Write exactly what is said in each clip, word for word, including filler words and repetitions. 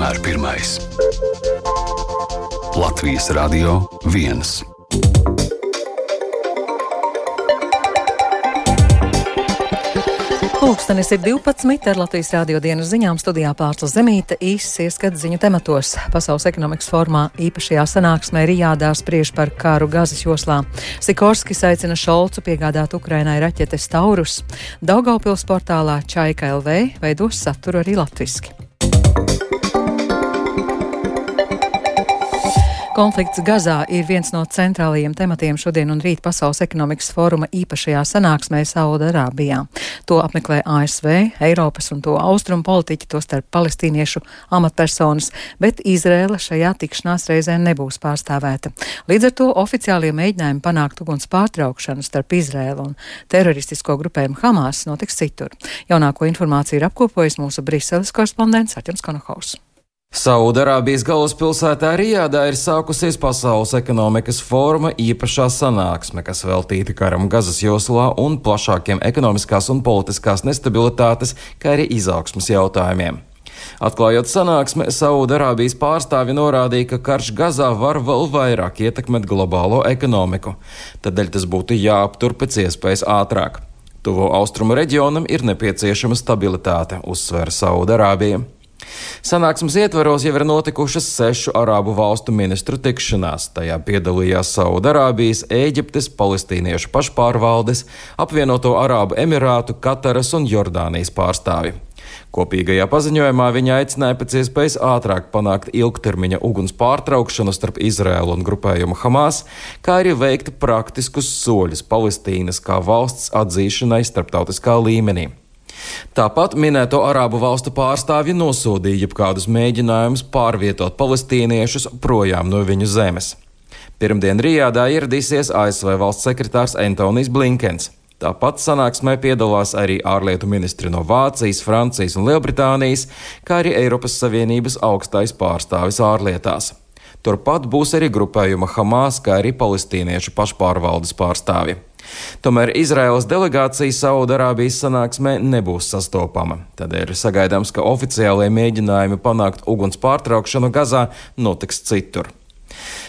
vienmēr pirmais. Latvijas Radio viens. Pulkstenis ir divpadsmit ar Latvijas Rādio dienas ziņām studijā Pārsla Zemīte, īsts ieskats ziņu tematos. Pasaules ekonomikas formā īpašajā sanāksmē Rijādā spriež par karu Gazas joslā. Sikorskis aicina Šolcu piegādāt Ukrainai raķetes Taurus. Daugavpils portālā Čaika L V veidos saturu arī latviski. Konflikts Gazā ir viens no centrālajiem tematiem šodien un rīt Pasaules ekonomikas fóruma īpašajā sanāksmē Saudarābijā. To apmeklē A S V, Eiropas un to austrumu politiķi, tostarp palestīniešu amatpersonas, bet Izraela šajā tikšanās reizē nebūs pārstāvēta. Līdz ar to oficiālie mēģinājumi panākt uguns pārtraukšanu starp Izraelu un teroristisko grupējumu Hamas notiks citur. Jaunāko informāciju ir apkopojis mūsu Briseles korespondents Artjoms Konohaus. Saudarābijas galvaspilsētā Rijādā ir sākusies Pasaules ekonomikas fóruma īpašā sanāksme, kas veltīta karam Gazas joslā un plašākiem ekonomiskās un politiskās nestabilitātes, kā arī izaugsmes jautājumiem. Atklājot sanāksmi, Saudarābijas pārstāvi norādīja, ka karš Gazā var vēl vairāk ietekmēt globālo ekonomiku, tādēļ tas būtu jāaptur pēc iespējas ātrāk. Tuvo austrumu reģionam ir nepieciešama stabilitāte, uzsver Saudarābija. Sanāksmes ietvaros jau ir notikušas sešu arābu valstu ministru tikšanās. Tajā piedalījās Saudarābijas, Ēģiptes, palestīniešu pašpārvaldes, apvienoto Arābu Emirātu, Kataras un Jordānijas pārstāvi. Kopīgajā paziņojumā viņi aicināja pēc iespējas ātrāk panākt ilgtermiņa uguns pārtraukšanu starp Izraēlu un grupējumu Hamas, kā arī veikt praktiskus soļus Palestīnas kā valsts atzīšanai starptautiskā līmenī. Tāpat minēto arābu valstu pārstāvji nosodīja jebkādus mēģinājumus pārvietot palestīniešus projām no viņu zemes. Pirmdien Rijādā ieradīsies A S V valsts sekretārs Antonijs Blinkens. Tāpat sanāksmē piedalās arī ārlietu ministri no Vācijas, Francijas un Lielbritānijas, kā arī Eiropas Savienības augstais pārstāvis ārlietās. Turpat būs arī grupējuma Hamas, kā arī palestīniešu pašpārvaldes pārstāvi. Tomēr Izraēlas delegācija Saudarābijas sanāksmē nebūs sastopama. Tādēļ ir sagaidāms, ka oficiālie mēģinājumi panākt uguns pārtraukšanu Gazā notiks citur.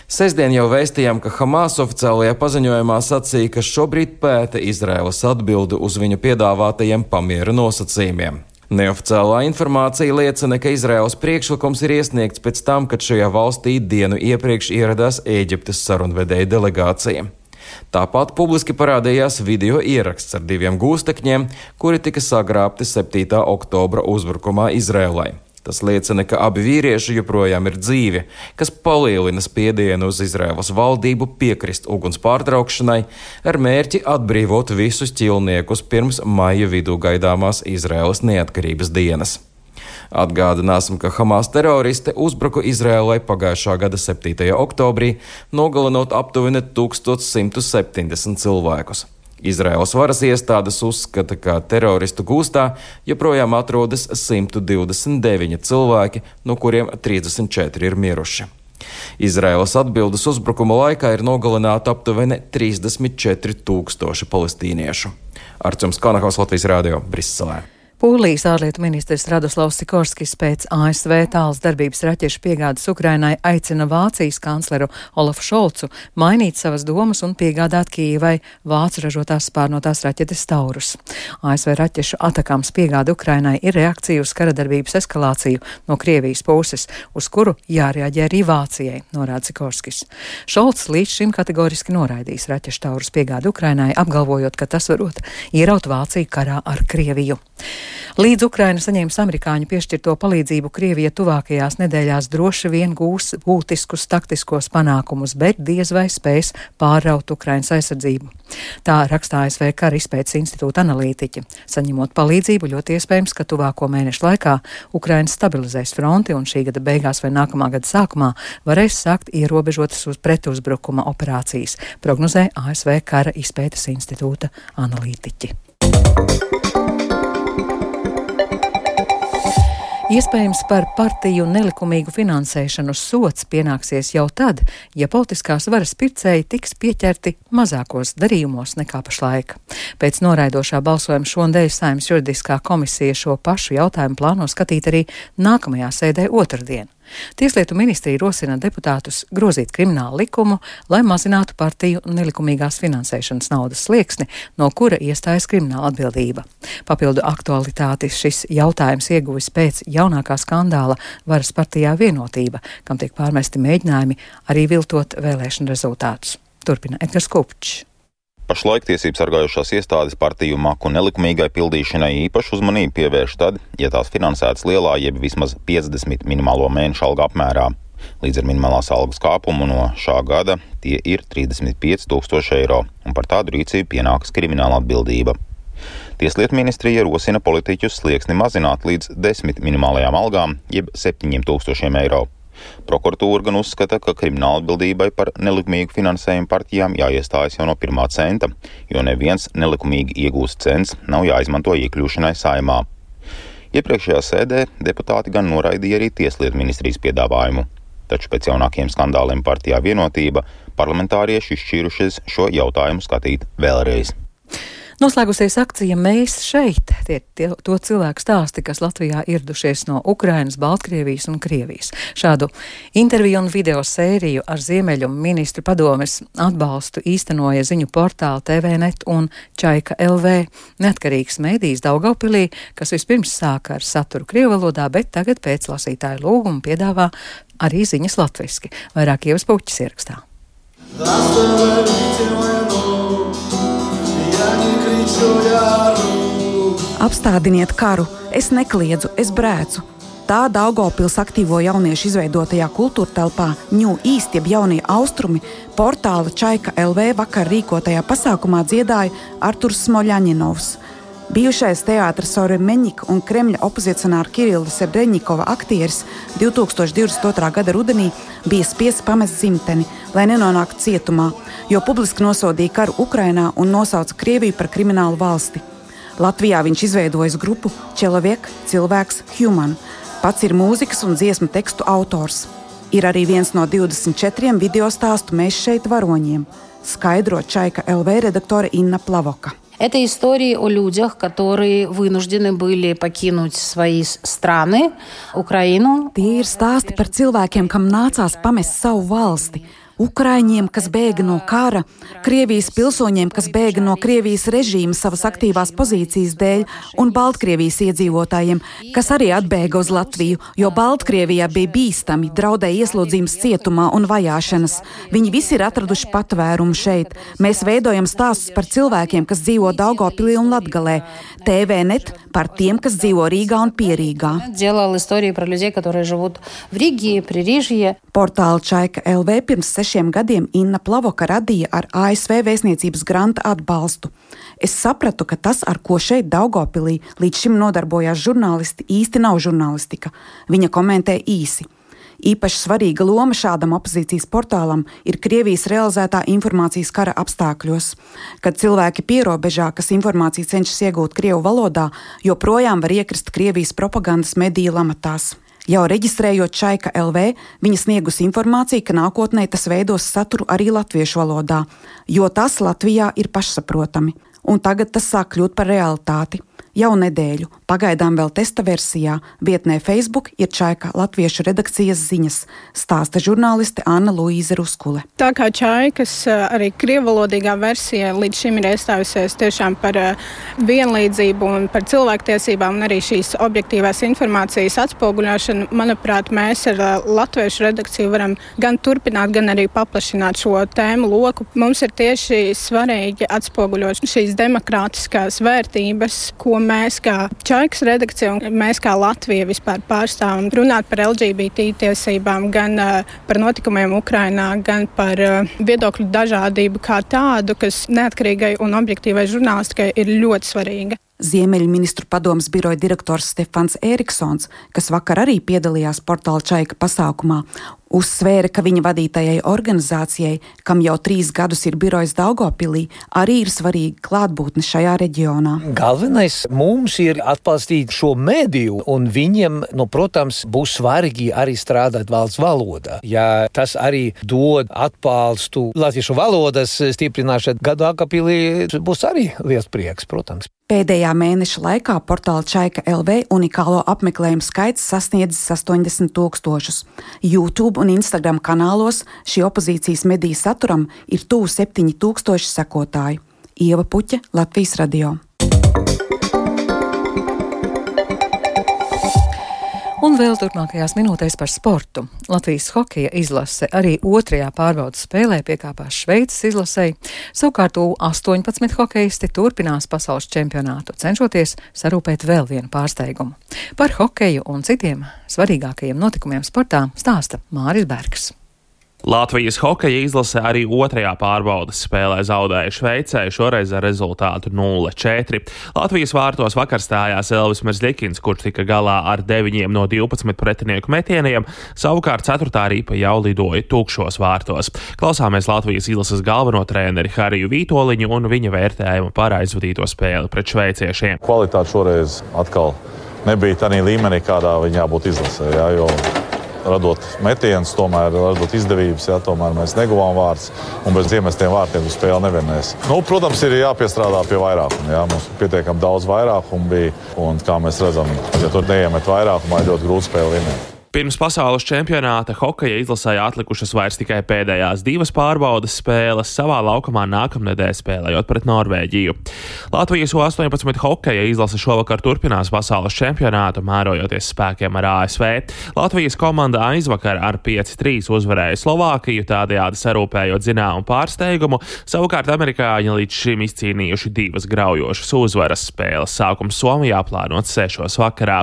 Sestdien jau vēstījām, ka Hamas oficiālajā paziņojumā sacīja, ka šobrīd pēta Izraēlas atbildi uz viņu piedāvātajiem pamiera nosacījumiem. Neoficiālā informācija liecina, ka Izraēlas priekšlikums ir iesniegts pēc tam, kad šajā valstī dienu iepriekš ieradās Ēģiptes sarunvedēja delegācija. Tāpat publiski parādījās video ieraksts ar diviem gūstekņiem, kuri tika sagrābti septītā oktobra uzbrukumā Izraēlai. Tas liecina, ka abi vīrieši joprojām ir dzīvi, kas palielina spiedienu uz Izraēlas valdību piekrist uguns pārtraukšanai ar mērķi atbrīvot visus ķilniekus pirms maija vidū gaidāmās Izraēlas neatkarības dienas. Atgādināsim, ka Hamas teroristi uzbruka Izraēlai pagājušā gada septītajā oktobrī, nogalinot aptuveni tūkstoš simt septiņdesmit cilvēkus. Izraēlas varas iestādes uzskata, ka teroristu gūstā joprojām atrodas simt divdesmit deviņi cilvēki, no kuriem trīsdesmit četri ir miruši. Izraēlas atbildes uzbrukuma laikā ir nogalināti aptuveni trīsdesmit četri tūkstoši palestīniešu. Artjoms Konohaus, Latvijas Rādio, Briselē. Polijas ārlietu ministrs Radoslavs Sikorskis pēc A S V tāls darbības raķešu piegādes Ukrainai aicina Vācijas kancleru Olafu Šolcu mainīt savas domas un piegādāt Kijevai vācu ražotās spārnotās raķetes Taurus. A S V raķešu atakāms piegāde Ukrainai ir reakcija uz kara darbības eskalāciju no Krievijas puses, uz kuru jārēģē arī Vācijai, norāda Sikorskis. Šolcs līdz šim kategoriski noraidījis raķešu Taurus piegādi Ukrainai, apgalvojot, ka tas varot ieraut Vāciju karā ar Krieviju. Līdz Ukraina saņēmis amerikāņu piešķirto palīdzību, Krievija tuvākajās nedēļās droši vien gūs būtiskus taktiskos panākumus, bet diez vai spēs pārraut Ukrainas aizsardzību. Tā rakstā A S V kara izpētes institūta analītiķi. Saņemot palīdzību, ļoti iespējams, ka tuvāko mēnešu laikā Ukraina stabilizēs fronti un šī gada beigās vai nākamā gada sākumā varēs sākt ierobežotas uz pretuzbrukuma operācijas, prognozē A S V kara izpētes institūta analītiķi. Iespējams, par partiju nelikumīgu finansēšanu sots pienāksies jau tad, ja politiskās varas pircēji tiks pieķerti mazākos darījumos nekā pašlaik. Pēc noraidošā balsojuma šonadēļ Saeimas juridiskā komisija šo pašu jautājumu plāno skatīt arī nākamajā sēdē otrdien. Tieslietu ministrija rosina deputātus grozīt kriminālu likumu, lai mazinātu partiju nelikumīgās finansēšanas naudas slieksni, no kura iestājas krimināla atbildība. Papildu aktualitāti šis jautājums ieguvis pēc jaunākā skandāla Varas partijā Vienotība, kam tiek pārmesti mēģinājumi arī viltot vēlēšanu rezultātus. Turpina Edgars Kupčs. Pašlaik tiesību sargājošās iestādes partiju maku nelikumīgai pildīšanai īpašu uzmanību pievērš tad, ja tās finansētas lielā jeb vismaz piecdesmit minimālo mēnešu algu apmērā. Līdz ar minimālās algas kāpumu no šā gada tie ir trīsdesmit pieci tūkstoši eiro, un par tādu rīcību pienākas krimināla atbildība. Tieslietu ministrija rosina politiķus slieksni mazināt līdz desmit minimālajām algām jeb septiņiem tūkstošiem eiro. Prokuratūra gan uzskata, ka krimināla atbildībai par nelikumīgu finansējumu partijām jāiestājas jau no pirmā centa, jo neviens nelikumīgi iegūsts cents nav jāizmanto iekļūšanai Saeimā. Iepriekšējā sēdē deputāti gan noraidīja arī Tieslietu ministrijas piedāvājumu. Taču pēc jaunākiem skandāliem partijā Vienotība parlamentārieši izšķīrušies šo jautājumu skatīt vēlreiz. Noslēgusies akcija Mēs šeit, tie, tie to cilvēku stāsti, kas Latvijā ieradušies no Ukrainas, Baltkrievijas un Krievijas. Šādu interviju un video sēriju ar Ziemeļu ministru padomes atbalstu īstenoja ziņu portāli T V net un Čaika L V. Neatkarīgs mēdījis Daugavpilī, kas vispirms sāka ar saturu krievu valodā, bet tagad pēc lasītāju lūguma piedāvā arī ziņas latviski. Vairāk Ievas Puķis ierakstā. Apstādiniet karu, es nekliedzu, es brēcu. Tā Daugavpils aktīvo jauniešu izveidotajā kultūra telpā Ņū Īst jeb jaunie austrumi portāla Čaika L V vakar rīkotajā pasākumā dziedāja Arturs Smoļaņinovs. Bijušais teātra Soremeņika un Kremļa opozicionāra Kirila Sebreņikova aktieris divi tūkstoši divdesmit otrā gada rudenī bija spiests pamest dzimteni, lai nenonāktu cietumā, jo publiski nosodīja karu Ukrainā un nosauca Krieviju par kriminālu valsti. Latvijā viņš izveidojis grupu Čeloviek, cilvēks, human. Pats ir mūzikas un dziesmu tekstu autors. Ir arī viens no divdesmit četriem video stāstu Mēs šeit varoņiem, skaidro Čaika L V redaktore Inna Plavoka. Это истории о людях, которые вынуждены были покинуть свои страны, Украину. Tie ir stāsti par cilvēkiem, kam nācās pamest savu valsti. Ukraiņiem, kas bēga no kara, Krievijas pilsoņiem, kas bēga no Krievijas režīma savas aktīvās pozīcijas dēļ, un Baltkrievijas iedzīvotājiem, kas arī atbēga uz Latviju, jo Baltkrievijā bija bīstami, draudēja ieslodzījums cietumā un vajāšanas. Viņi visi ir atraduši patvērumu šeit. Mēs veidojam stāstus par cilvēkiem, kas dzīvo Daugavpilī un Latgalē. T V net par tiem, kas dzīvo Rīgā un Pierīgā. Делал истории про людей, которые живут в Риге, Пририжье. Portāla Čaika L V pirms sešiem gadiem Inna Plavoka radīja ar A S V vēstniecības granta atbalstu. Es sapratu, ka tas, ar ko šeit Daugavpilī līdz šim nodarbojās žurnālisti, īsti nav žurnālistika. Viņa komentē īsi. Īpaši svarīga loma šādam opozīcijas portālam ir Krievijas realizētā informācijas kara apstākļos, kad cilvēki pierobežā, kas informāciju cenšas iegūt krievu valodā, joprojām var iekrist Krievijas propagandas mediju lamatās. Jau reģistrējot Čaika L V, viņa sniegus informāciju, ka nākotnē tas veidos saturu arī latviešu valodā, jo tas Latvijā ir pašsaprotami. Un tagad tas sāk kļūt par realitāti. Jau nedēļu, pagaidām vēl testa versijā, vietnē Facebook ir Čaika latviešu redakcijas ziņas, stāsta žurnāliste Anna Luīze Ruskule. Tā kā Čaikas arī krievalodīgā versija līdz šim ir iestājusies tiešām par vienlīdzību un par cilvēktiesībām un arī šīs objektīvās informācijas atspoguļošanu, manuprāt, mēs ar latviešu redakciju varam gan turpināt, gan arī paplašināt šo tēmu loku. Mums ir tieši svarīgi atspoguļot šīs demokrātiskās vērtības, ko mēs kā Čaikas redakcija un mēs kā Latvija vispār pārstāvam, runāt par L G B T tiesībām, gan uh, par notikumiem Ukrainā, gan par uh, viedokļu dažādību kā tādu, kas neatkarīgai un objektīvai žurnālistikai ir ļoti svarīga. Ziemeļu ministru padomes biroja direktors Stefans Eriksons, kas vakar arī piedalījās portāla Čaika pasākumā, uzsvēra, ka viņa vadītajai organizācijai, kam jau trīs gadus ir birojas Daugavpilī, arī ir svarīga klātbūtne šajā reģionā. Galvenais mums ir atbalstīt šo mediju, un viņiem, nu, protams, būs svarīgi arī strādāt valsts valodā. Ja tas arī dod atbalstu latviešu valodas stiprināšanu Daugavpilī, būs arī liels prieks, protams. Pēdējā mēneša laikā portāla Čaika L V unikālo apmeklējumu skaits sasniedzis astoņdesmit tūkstošus. YouTube un Instagram kanālos šī opozīcijas mediju saturam ir tuvu septiņi tūkstoši sekotāju. Ieva Puķe, Latvijas radio. Un vēl turpmākajās minūtēs par sportu. Latvijas hokeja izlase arī otrajā pārbaudas spēlē piekāpās Šveices izlasei. Savukārt U astoņpadsmit hokeisti turpinās pasaules čempionātu, cenšoties sarūpēt vēl vienu pārsteigumu. Par hokeju un citiem svarīgākajiem notikumiem sportā stāsta Māris Bergs. Latvijas hokeja izlase arī otrajā pārbaudas spēlē zaudēja Šveicē, šoreiz ar rezultātu nulle četri. Latvijas vārtos vakar stājās Elvis Merzlikins, kurš tika galā ar deviņiem no divpadsmit pretinieku metieniem, savukārt ceturtā ripa jau lidoja tukšos vārtos. Klausāmies Latvijas izlases galveno treneri Hariju Vītoliņu un viņa vērtējumu par aizvadīto spēli pret šveiciešiem. Kvalitāte šoreiz atkal nebija tādā līmenī, kādā viņa jābūt izlasē, jā, jo radot metienus, tomēr radot izdevības, jā, tomēr mēs neguvām vārds, un bez iemestiem vārtiem uz spēli nevienēs. Nu, protams, ir jāpiestrādā pie vairākuma, jā, mums pietiekam daudz vairākumu bija, un kā mēs redzam, ja tur neiemet vairākumā, ir ļoti grūti spēli vinēt. Pirms pasaules čempionāta hokeja izlasē atlikušas vairs tikai pēdējās divas pārbaudas spēles, savā laukumā nākamnedēļ spēlējot pret Norvēģiju. Latvijas U astoņpadsmit hokeja izlase šovakar turpinās pasaules čempionātu, mērojoties spēkiem ar A S V. Latvijas komanda aizvakar ar pieci trīs uzvarēja Slovākiju, tādējādi sarūpējot zināmu pārsteigumu, savukārt amerikāņi līdz šim izcīnījuši divas graujošas uzvaras. Spēles sākums Somijā plānots sešos vakarā.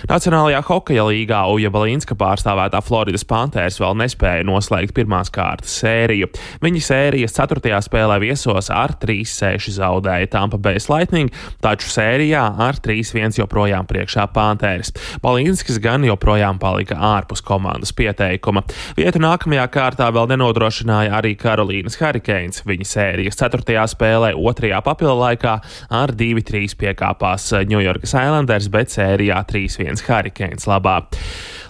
Nacionālajā hokeja līgā Uja Balinska pārstāvētā Floridas Panthers vēl nespēja noslēgt pirmās kārtas sēriju. Viņi sērijas ceturtajā spēlē viesos ar trīs seši zaudēja Tampa Bay Lightning, taču sērijā ar trīs viens joprojām priekšā Panthers. Balinskis gan joprojām palika ārpus komandas pieteikuma. Vietu nākamajā kārtā vēl nenodrošināja arī Karolīnas Hurricanes. Viņi sērijas ceturtajā spēlē otrajā papildu laikā ar divi trīs piekāpās New Yorkas Islanders, bet sērijā trīs viens Hurricanes labā.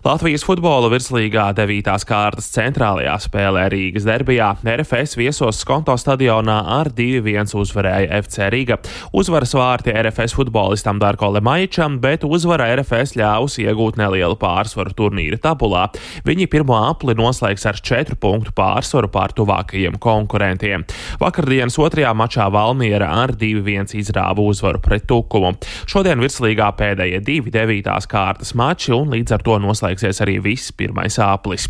Latvijas futbola virslīgā devītās kārtas centrālajā spēlē Rīgas derbijā R F S viesos Skonto stadionā ar divi viens uzvarēja F C Riga. Uzvaras vārti R F S futbolistam Darko Lemaičam, bet uzvara R F S ļāvus iegūt nelielu pārsvaru turnīra tabulā. Viņi pirmo apli noslēgs ar četru punktu pārsvaru pār tuvākajiem konkurentiem. Vakardienas otrajā mačā Valmiera ar divi viens izrāva uzvaru pret Tukumu. Šodien virslīgā pēdējie divi devītās kārtas mači un līdz ar to noslēgs arī viss pirmais āplis.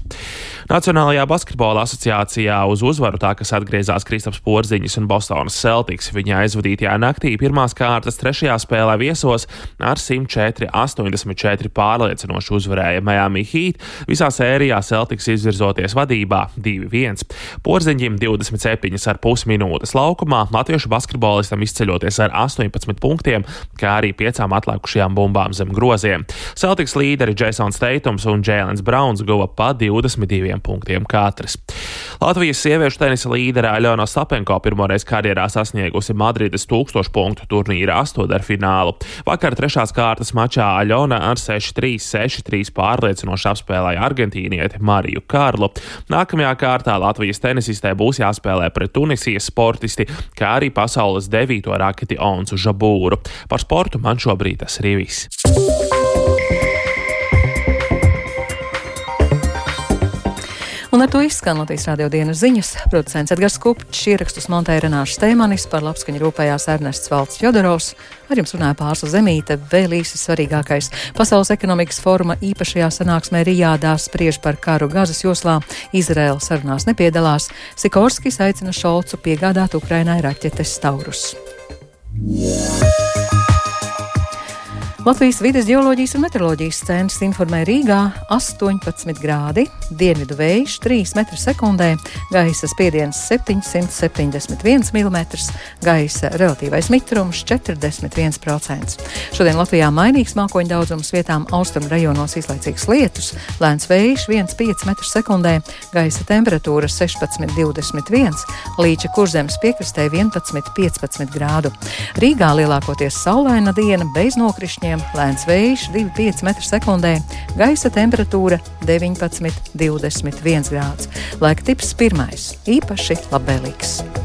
Nacionālajā basketbola asociācijā uz uzvaru tā, kas atgriezās Kristaps Porziņš un Bostonas Celtics. Viņa aizvadītajā naktī pirmās kārtas trešajā spēlē viesos ar simt četri astoņdesmit četri pārliecinoši uzvarēja Miami Heat. Visā sērijā Celtics izvirzoties vadībā divi viens. Porziņģim divdesmit septiņas ar pus minūtes laukumā, latviešu basketbolistam izceļoties ar astoņpadsmit punktiem, kā arī piecām atlikušajām bumbām zem groziem. Celtics līderi Jasons Tatums un Jēlens Brauns guva pa divdesmit diviem punktiem katrs. Latvijas sieviešu tenisa līdere Aļona Ostapenko pirmoreiz karjerā sasniegusi Madrides tūkstošu punktu turnīra astotdaļfinālu. Vakar trešās kārtas mačā Aļona ar seši trīs seši trīs pārliecinoši apspēlēja argentīnieti Mariju Karlu. Nākamajā kārtā Latvijas tenisistē būs jāspēlē pret Tunisijas sportisti, kā arī pasaules devīto raketi Onsu Žabūru. Par sportu man šobrīd tas arī viss. Un ar to izskan Latvijas radio dienas ziņas. Producents Edgars Kupčs, ierakstus montēja Renāša Steimanis, par labskaņu rūpējās Ernests Valds Fjodorovs. Ar jums runāja Pārsla Zemīte, vēl īsi svarīgākais. Pasaules ekonomikas foruma īpašajā sanāksmē Rijādā spriež par karu Gazas joslā. Izraela sarunās nepiedalās. Sikorskis aicina Šolcu piegādāt Ukrainai raķetes Taurus. Latvijas vides geoloģijas un meteoroloģijas centrs informē Rīgā astoņpadsmit grādi, dienvidu vējš trīs metri sekundē, gaisa spiediens septiņsimt septiņdesmit viens milimetrs, gaisa relatīvais mitrums četrdesmit viens procents. Šodien Latvijā mainīgs mākoņu daudzums, vietām austrumu rajonos izlaicīgs lietus, lēns vējš viens komats pieci metri sekundē, gaisa temperatūra sešpadsmit divdesmit viens, Līča Kurzemes piekrastē vienpadsmit piecpadsmit grādu. Rīgā lielākoties saulaina diena bez nokrišņiem, lēns vējš divi komats pieci metri sekundē, gaisa temperatūra deviņpadsmit divdesmit viens grāds. Laika tips pirmais, īpaši labvēlīgs.